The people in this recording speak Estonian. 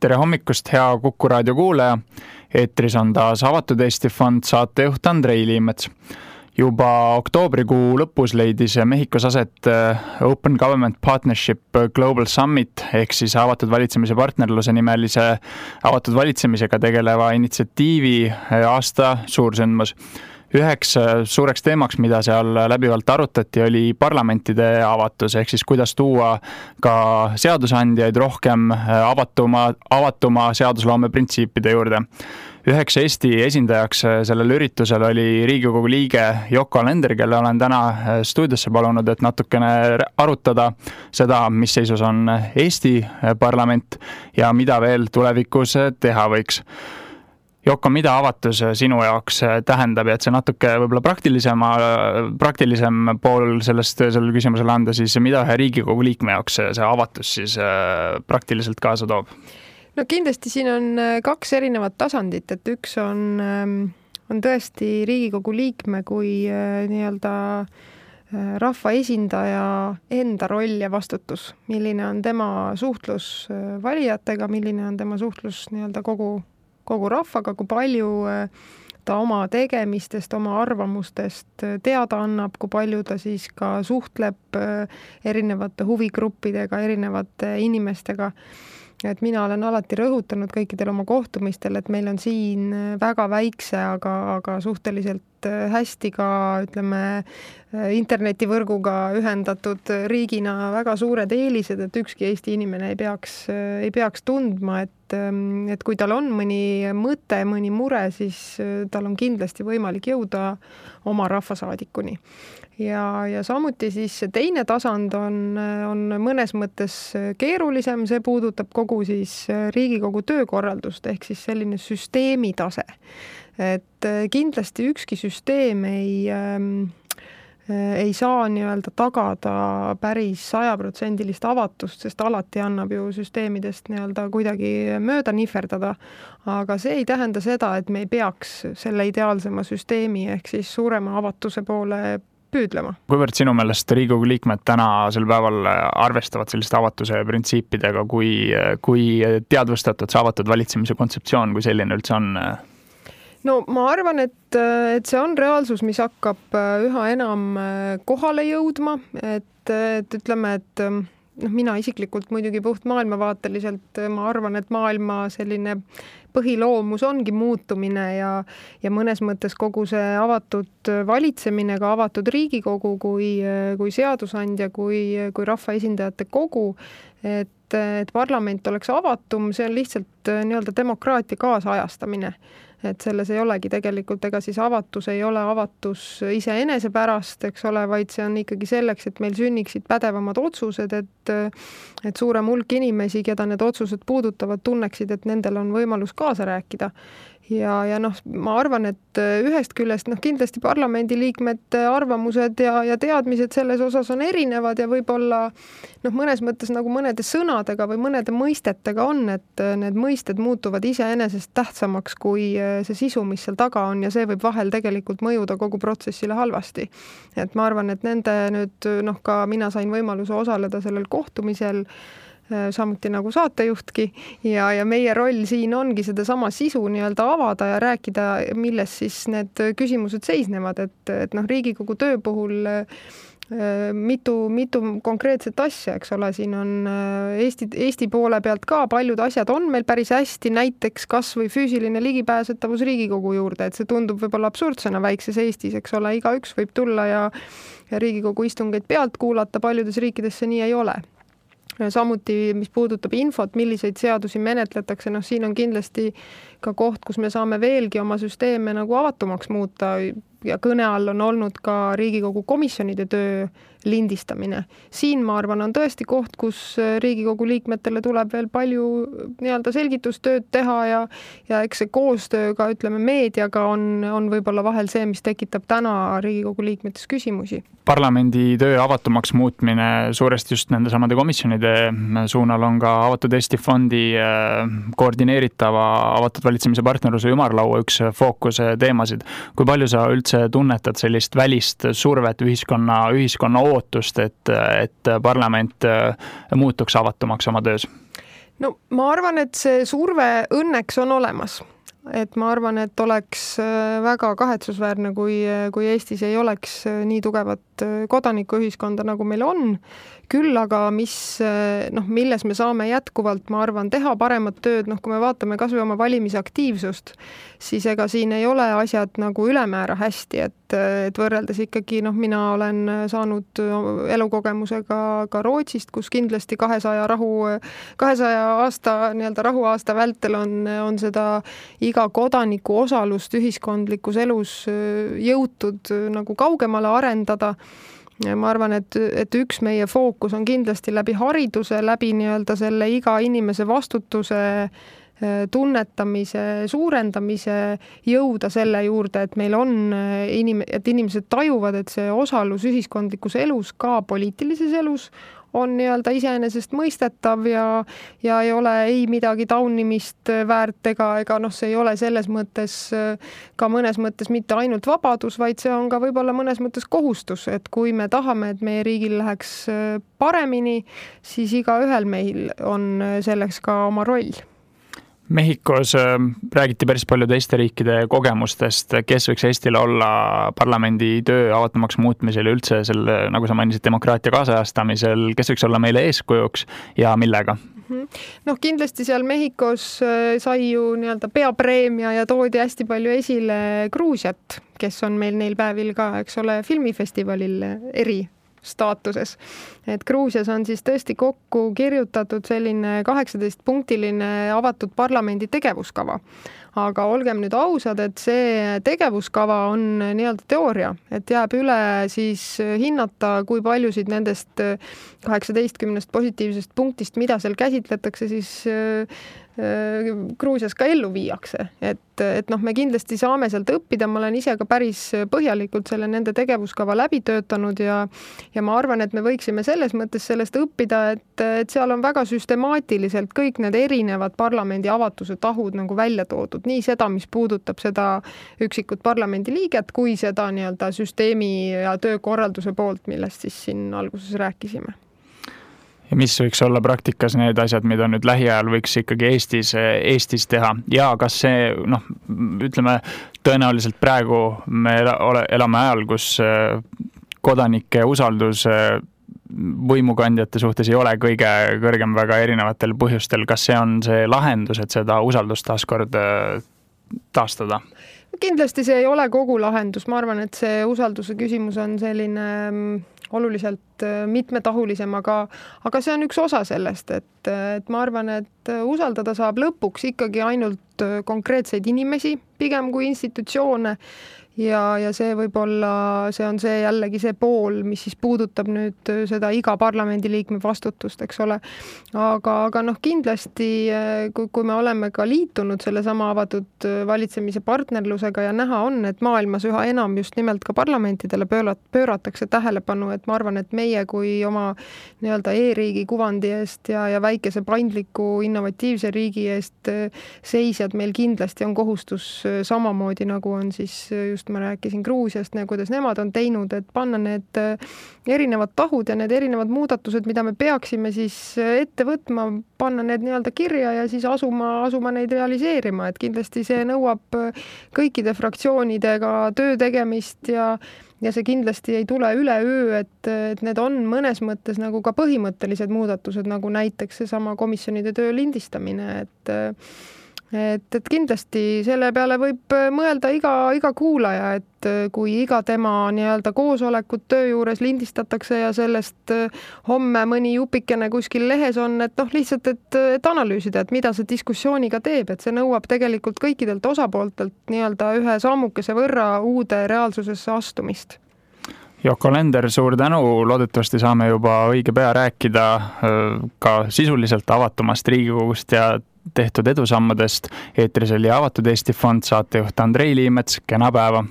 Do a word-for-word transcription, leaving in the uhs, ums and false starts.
Tere hommikust, hea Kuku raadio kuulaja. Eetris on taas Avatud Eesti Fond saatejuht Andrei Liimets. Juba oktoobrikuu lõpus leidis Mehhikos aset Open Government Partnership Global Summit ehk siis avatud valitsemise partnerluse nimelise avatud valitsemisega tegeleva initsiatiivi aasta suursündmus. Üheks suureks teemaks, mida seal läbivalt arutati, oli parlamentide avatus, ehk siis kuidas tuua ka seadusandjaid rohkem avatuma, avatuma seadusloome printsiipide juurde. Üheks Eesti esindajaks sellel üritusel oli Riigikogu liige Yoko Alender, kelle olen täna stuudiosse palunud, et natukene arutada seda, mis seisus on Eesti parlament ja mida veel tulevikus teha võiks. Joko, mida avatus sinu jaoks tähendab, et see natuke võib-olla praktilisema, praktilisem pool sellest sellel küsimusele anda, siis mida ühe Riigikogu liikme jaoks see avatus siis praktiliselt kaasa toob? No kindlasti siin on kaks erinevat tasandit, et üks on, on tõesti Riigikogu liikme kui nii-öelda rahva esindaja enda roll ja vastutus, milline on tema suhtlus valijatega, milline on tema suhtlus nii-öelda kogu kogu rahvaga, kui palju ta oma tegemistest, oma arvamustest teada annab, kui palju ta siis ka suhtleb erinevate huvigruppidega, erinevate inimestega. Et mina olen alati rõhutanud kõikidel oma kohtumistel, et meil on siin väga väikse, aga, aga suhteliselt hästi ka, ütleme, internetivõrguga ühendatud riigina väga suured eelised, et ükski Eesti inimene ei peaks, ei peaks tundma, et, et kui tal on mõni mõte, mõni mure, siis tal on kindlasti võimalik jõuda oma rahvasaadikuni. Ja, ja samuti siis see teine tasand on, on mõnes mõttes keerulisem, see puudutab kogu siis Riigikogu töökorraldust ehk siis selline süsteemi tase. Et kindlasti ükski süsteem ei, ei saa nii-öelda tagada päris sajaprotsendilist avatust, sest alati annab ju süsteemidest nii-öelda kuidagi mööda nihverdada, aga see ei tähenda seda, et me ei peaks selle ideaalsema süsteemi ehk siis suurema avatuse poole püüdlema. Kuivõrd sinu meelest Riigikogu liikmed tänasel päeval arvestavad selliste avatuse printsiipidega, kui, kui teadvustatud see avatud valitsemise kontseptsioon, kui selline üldse on? No ma arvan, et, et see on reaalsus, mis hakkab üha enam kohale jõudma, et, et ütleme, et noh, mina isiklikult muidugi puht maailmavaateliselt ma arvan, et maailma selline põhiloomus ongi muutumine ja, ja mõnes mõttes kogu see avatud valitsemine, ka avatud Riigikogu kui, kui seadusandja, kui, kui rahvaesindajate kogu, et, et parlament oleks avatum, see on lihtsalt nii-öelda demokraatia kaasajastamine. Et selles ei olegi tegelikult, ega siis avatus ei ole avatus iseenese pärast, eks ole, vaid see on ikkagi selleks, et meil sünniksid pädevamad otsused, et, et suurem hulk inimesi, keda need otsused puudutavad, tunneksid, et nendel on võimalus kaasa rääkida. Ja, ja noh, ma arvan, et ühest küljest noh, kindlasti parlamendiliikmete arvamused ja, ja teadmised selles osas on erinevad ja võib-olla noh, mõnes mõttes nagu mõnede sõnadega või mõnede mõistetega on, et need mõisted muutuvad iseenesest tähtsamaks kui see sisu, mis seal taga on ja see võib vahel tegelikult mõjuda kogu protsessile halvasti. Et ma arvan, et nende nüüd noh, ka mina sain võimaluse osaleda sellel kohtumisel samuti nagu saatejuhtki ja, ja meie roll siin ongi seda sama sisu nii-öelda avada ja rääkida, milles siis need küsimused seisnevad, et, et noh, Riigikogu töö puhul mitu, mitu konkreetset asja, eks ole, siin on Eesti, Eesti poole pealt ka paljud asjad on meil päris hästi, näiteks kas või füüsiline ligipääsetavus Riigikogu juurde, et see tundub võib-olla absurdsena väikses Eestis, eks ole, igaüks võib tulla ja, ja Riigikogu istungeid pealt kuulata, paljudes riikides see nii ei ole. Samuti, mis puudutab infot, milliseid seadusi menetletakse, noh siin on kindlasti ka koht, kus me saame veelgi oma süsteeme nagu avatumaks muuta ja kõne all on olnud ka Riigikogu komisjonide töö lindistamine. Siin, ma arvan, on tõesti koht, kus Riigikogu liikmetele tuleb veel palju nii-öelda selgitustööd teha ja, ja eks see koostöö ka, ütleme, meediaga on, on võib-olla vahel see, mis tekitab täna Riigikogu liikmetes küsimusi. Parlamendi töö avatumaks muutmine suuresti just nende samade komisjonide suunal on ka Avatud Eesti Fondi koordineeritava avatud valitsemise partnerluse ümarlaua üks fookus teemasid. Kui palju sa üldse tunnetad sellist välist survet ühiskonna, ühiskonna ootust, et, et parlament muutuks avatumaks oma töös? no ma arvan, et see surve õnneks on olemas. Et ma arvan, et oleks väga kahetsusväärne, kui, kui Eestis ei oleks nii tugevat kodanikuühiskonda, nagu meil on. Küll aga, mis, noh, milles me saame jätkuvalt, ma arvan, teha paremat tööd, noh, kui me vaatame kas või oma valimisaktiivsust, siis ega siin ei ole asjad nagu ülemäära hästi, et, et võrreldes ikkagi, noh, mina olen saanud elukogemusega ka Rootsist, kus kindlasti kahesaja rahu, kahesaja aasta, nii-öelda rahuaasta vältel on, on seda iga kodaniku osalust ühiskondlikus elus jõutud nagu kaugemale arendada. Ma arvan, et, et üks meie fookus on kindlasti läbi hariduse, läbi nii-öelda selle iga inimese vastutuse tunnetamise, suurendamise jõuda selle juurde, et meil on inim-, et inimesed tajuvad, et see osalus ühiskondlikus elus, ka poliitilises elus, on nii-öelda iseenesest mõistetav ja, ja ei ole ei midagi taunimist väärt ega, ega noh, see ei ole selles mõttes ka mõnes mõttes mitte ainult vabadus, vaid see on ka võib-olla mõnes mõttes kohustus, et kui me tahame, et meie riigil läheks paremini, siis igaühel meil on selleks ka oma roll. Mehhikos räägiti päris palju teiste riikide kogemustest, kes võiks Eestile olla parlamendi töö avatumaks muutmisel ja üldse selle, nagu sa mainisid, demokraatia kaasajastamisel, kes võiks olla meile eeskujuks ja millega? Noh, kindlasti seal Mehhikos sai ju nii-öelda peapreemia ja toodi hästi palju esile Gruusiat, kes on meil neil päevil ka, eks ole, filmifestivalil eri staatuses. Et Gruusias on siis tõesti kokku kirjutatud selline kaheksateist punktiline avatud parlamendi tegevuskava. Aga olgem nüüd ausad, et see tegevuskava on nii-öelda teooria, et jääb üle siis hinnata, kui paljusid nendest kaheksateistkümnest positiivsest punktist, mida seal käsitletakse, siis Gruusias ka ellu viiakse. Et, et noh, me kindlasti saame sealt õppida, ma olen ise ka päris põhjalikult selle nende tegevuskava läbi töötanud ja, ja ma arvan, et me võiksime selles mõttes sellest õppida, et, et seal on väga süstemaatiliselt kõik need erinevad parlamendi avatuse tahud nagu välja toodud. Nii seda, mis puudutab seda üksikut parlamendi liiget, kui seda nii-öelda süsteemi ja töökorralduse poolt, millest siis siin alguses rääkisime. Ja mis võiks olla praktikas need asjad, mida nüüd lähiajal võiks ikkagi Eestis, Eestis teha ja kas see, noh, ütleme, tõenäoliselt praegu me elame ajal, kus kodanike usaldus võimukandjate suhtes ei ole kõige kõrgem väga erinevatel põhjustel. Kas see on see lahendus, et seda usaldust taaskord taastada? Kindlasti see ei ole kogu lahendus. Ma arvan, et see usalduse küsimus on selline oluliselt mitmetahulisem, aga, aga see on üks osa sellest, et, et ma arvan, et usaldada saab lõpuks ikkagi ainult konkreetseid inimesi, pigem kui institutsioone. Ja, ja see võib olla, see on see jällegi see pool, mis siis puudutab nüüd seda iga parlamendiliikme vastutust, eks ole. Aga, aga noh, kindlasti, kui, kui me oleme ka liitunud selle sama avatud valitsemise partnerlusega ja näha on, et maailmas üha enam just nimelt ka parlamentidele pöörat, pööratakse tähelepanu, et ma arvan, et meie kui oma nii-öelda e-riigi kuvandi eest ja, ja väikese paindliku innovatiivse riigi eest seisjad meil kindlasti on kohustus samamoodi, nagu on siis just ma rääkisin Gruusiast ja kuidas nemad on teinud, et panna need erinevad tahud ja need erinevad muudatused, mida me peaksime siis ette võtma, panna need nii-öelda kirja ja siis asuma, asuma neid realiseerima, et kindlasti see nõuab kõikide fraktsioonidega töö tegemist ja ja see kindlasti ei tule üleöö, et, et need on mõnes mõttes nagu ka põhimõttelised muudatused, nagu näiteks seesama komisjonide töö lindistamine, et Et, et kindlasti selle peale võib mõelda iga, iga kuulaja, et kui iga tema nii-öelda koosolekut töö juures lindistatakse ja sellest homme mõni jupikene kuskil lehes on, et noh, lihtsalt, et, et analüüsida, et mida see diskussiooniga teeb, et see nõuab tegelikult kõikidelt osapooltelt nii-öelda ühe sammukese võrra uude reaalsusesse astumist. Joko Alender, suur tänu, loodetavasti saame juba õige pea rääkida ka sisuliselt avatumast Riigikogust ja tehtud edusammudest. Eetris oli Avatud Eesti Fond saatejuht Andrei Liimets, kena päeva!